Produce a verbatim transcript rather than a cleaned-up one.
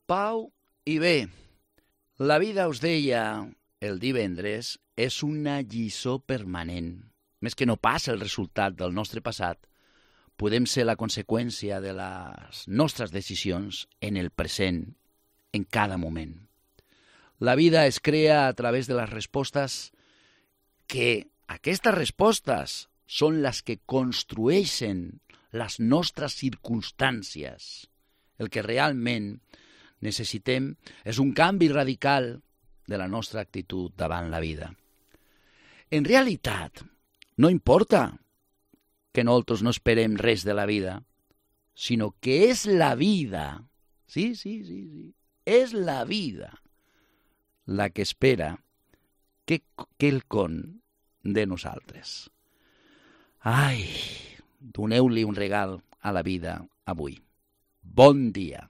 Pau i bé. La vida, us deia el divendres, és una lliçó permanent. Més que no pas el resultat del nostre passat, podem ser la conseqüència de les nostres decisions en el present, en cada moment. La vida es crea a través de les respostes que aquestes respostes són les que construeixen les nostres circumstàncies. El que realment necessitem és un canvi radical de la nostra actitud davant la vida. En realitat, no importa que nosaltres no esperem res de la vida, sinó que és la vida, sí, sí, sí, sí, és la vida la que espera que quelcom de nosaltres. Ai, doneu-li un regal a la vida avui. Bon dia.